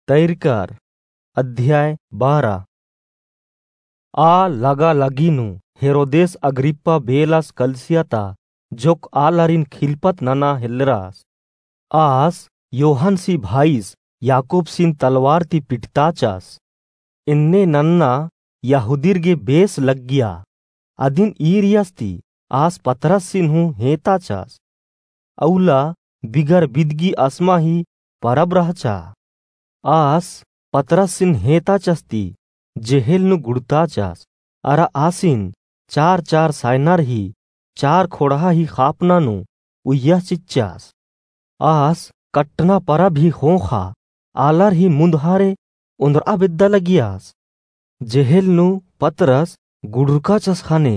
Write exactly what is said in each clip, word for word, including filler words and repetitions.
तैरकर। अध्याय बारह। आ लगा लगी नू हेरोदेस अग्रिप्पा बेलस कलिसिया ता जोक आलारिन खिलपत नना हेलरस। आस योहनसी भाईस याकूबसिन तलवारती पिटताचस। एन्ने नन्ना यहूदीर गे बेस लग्गिया। अदिन ईरियस ती आस पतरससिन हूँ हेंताचस। अउला बिगर बिदगी असमा ही परब रहचा। आस पतरससिन हेंताचस ती जेहेल नू गुड़ताचस। अरा आसिन चार चार सायनर ही चार खोड़हा ही खापना नू उइय्या चिच्चस। आस कट्टना परब ही ख़ोख़ा आलर ही मुन्दहारे ओन्द्रआ बेद्दा लगियस। जेहेल नू पतरस गुड़ुरकाचस ख़ने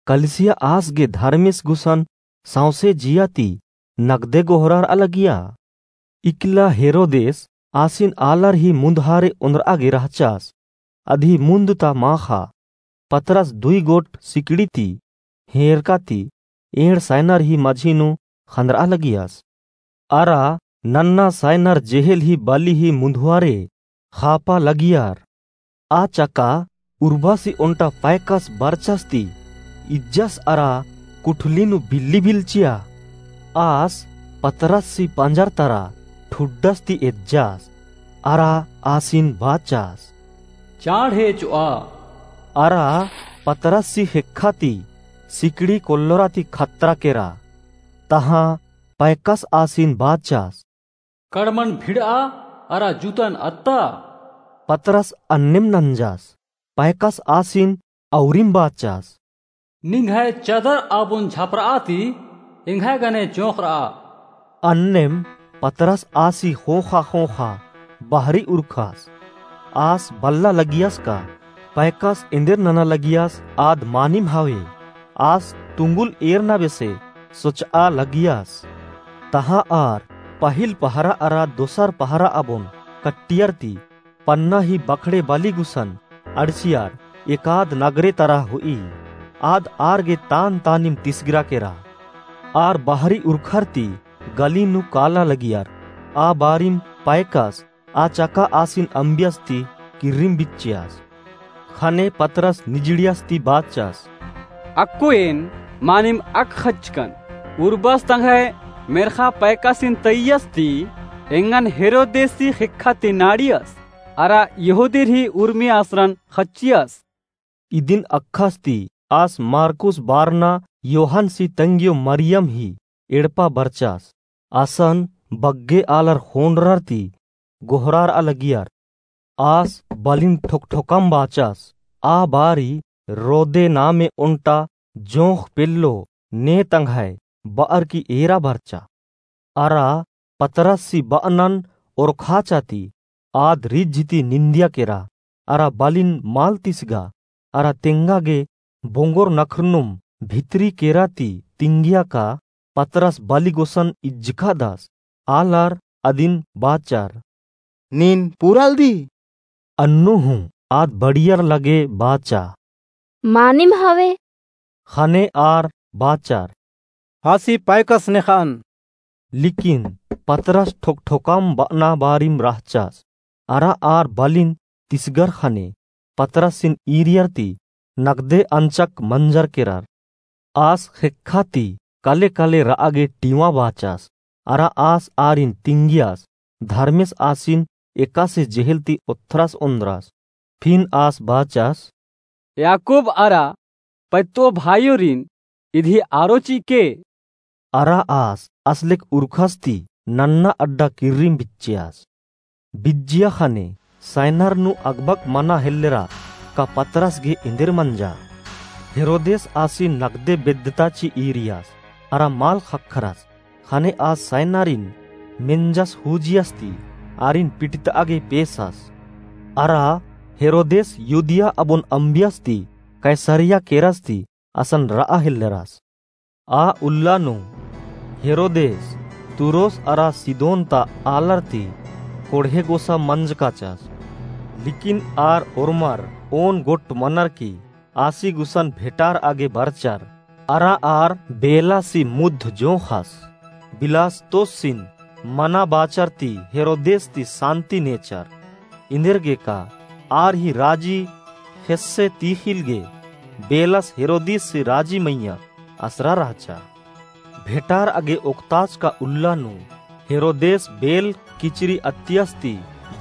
कलिसिया आस गे धर्मेस गुसन सौंसे जिया ती नगदे गोहरारआ लगिया। इकला हेरोदेस आसिन आलर ही मुन्दहारे ओन्द्रआ गे रहचस। अदही मुन्द ता माख़ा पतरस दुई गोट सिकड़ी ती हेंरका ती एंड़ सायनर ही मझी नू ख़न्दरआ लगियस। अरा नन्ना सायनर जेहेल ही बली ही मुन्दहारे ख़ापा लगियर। आ चका उर्बासी ओन्टा पैकस बरचस ती इज्जस अरा कुठली नू बिल्ली बिल्चिया। आस पतरससी पंजर तरा ठुड्डस ती एज्जस अरा आसिन बाचस, चाँड़ हे चोआ। अरा पतरससी ख़ेक्खा ती सिकड़ी कोल्लोरा ती खतरा केरा। तहाँ पैकस आसिन बाचस, कड़मन भिड़आ अरा जूतन अत्ता। पतरस अन्नेम नंजस। पैकस आसिन अउरिम बाचस, निंग्है चदर आबुन झपरआ ती एंग्है गने चोंख़रआ। अन्नेम पतरस आसी ख़ोख़ा ख़ोख़ा बहरी उरखस। आस बल्ला लगियस का पैकस एन्देर नना लगियस आद मानिम हवे। आस तुंगुल एरना बेसे सोचआ लगियस। तहाँ आर पहिल पहरा अरा दोसर पहरा आबुन कट्टियर ती पन्ना ही बखड़े बली गुसन अंड़सियर एकाद नगरे तरा होई। आद आर गे तान तानिम तिसगरा केरा। आर बहरी उरखर ती गली नू काला लगियर। आ बारिम पैकस आ चका आसिन अम्बियस ती किर्रिम बिच्चियस। ख़ने पतरस निजड़ियस ती बाचस, अक्कु एन मानिम अक ख़च्चकन, उर्बस तंग्है मेर्ख़ा पैकसिन तइयस ती एंगन हेरोदेसी ख़ेक्खा ती नाड़ियस, अरा यहूदीर ही उर्मी आसरन ख़च्चियस। इदिन अक्खस ती आस मरकुस बारना योहनसी तंग्यो मरियम ही एड़पा बरचस। असन बग्गे आलर ख़ोंड़रर ती गोहरारआ लगियर। आस बलिन ठोकठोकम बाचस, आ बारी रोदे नामे ओन्टा जोंख़ पेल्लो ने तंग्है बअर की एरा बरचा। अरा पतरससी बअनन ओरखाचा ती आद रिझ ती निंदिया केरा, अरा बलिन मल तिसगा, अरा तेंगा गे बोंगोर नखरनुम भितरी केरा ती तिंगिया का पतरस बली गुसन इज्जकादस। आलर अदिन बाचर, नीन पुरालदी। अन्नु हूँ आद बड़ियर लगे बाचा, मानिम हवे। ख़ने आर बाचर, आसी पैकस नेख़अन। लेकिन पतरस ठोकठोकम बअना बारिम रहचस। अरा आर बलिन तिसगर ख़ने पतरसिन ईरियर ती नगदे अंचक मंजर केरर। आस ख़ेक्खा ती कले कले रआ गे टिंवा बाचस। अरा आस आरिन तिंगियस, धर्मेस आसिन एकासे जेहेल ती ओथ्रस ओन्द्रस। फिन आस बाचस, याकूब अरा पत्तो भाईयोरिन इदी आरो चिके। अरा आस असलेक उरखस ती नन्ना अड्डा किर्रिम बिच्चियस। बिज्जिया ख़ने सैनर नू अगबक मना हेल्लेरा का पतरस गे एन्देर मंजा। हेरोदेस आसिन नगदे बेद्दता ची ईरियस अरा मल ख़क्खरस। ख़ने आस सैनरिन मेंजस हूजियस ती आरिन पिटतआ गे पेसस। अरा हेरोदेस युदिया अबुन अम्बियस ती कैसरिया केरस ती असन रआ हेल्लेरस। आ उल्ला नू हेरोदेस तुरोस अरा सिदोन ता आलर ती कोड़हे गोसा मंजकाचस। लेकिन आर ओर्मर ओन गोट मनर की आसी गुसन भेटारआ गे बरचर। अरा आर बेलासी मुद्ध जोंख़स बिलास्तोसिन मना बाचर ती हेरोदेस ती सान्ति नेचर। इन्देरगेका आर ही राजी ख़ेस्से तीख़िल गे बेलस हेरोदिस ही राजी मइय्याँ असरा रहचा। भेंटार'आ गे ओक्ताचका उल्ला नू हेरोदेस बेल किचरी अत्तियस ती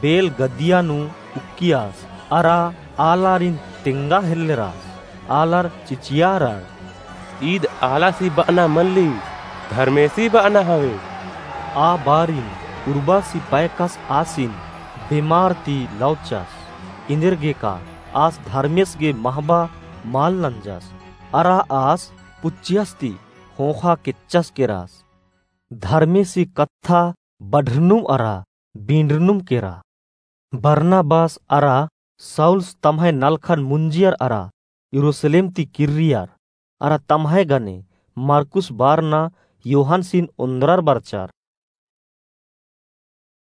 बेल गद्दिया नू उक्कियास अरा आलारिन तेंगा हेल्लेरास। आलर चिचियारर, "ईद आलासी ब'अना मल्ली, धर्मेसी ब'अना हवे।" आ बारिन उर्बासी पैकस आसिन बेमार ती लौचस। इन्देरगेका आस धर्मेस गे महबा मल नंजस अरा आस पुच्चियस ती ख़ोख़ा केच्चस केरास। धर्मेसी कत्था बढ़रनुम अरा बींडरनुम केरा। बरनाबास अरा साउलस तम्है नलखन मुंजियर अरा यरूसलेम ती किर्रियर अरा तम्है गने मरकुस बारना योहानसिन ओन्द्रर बरचर।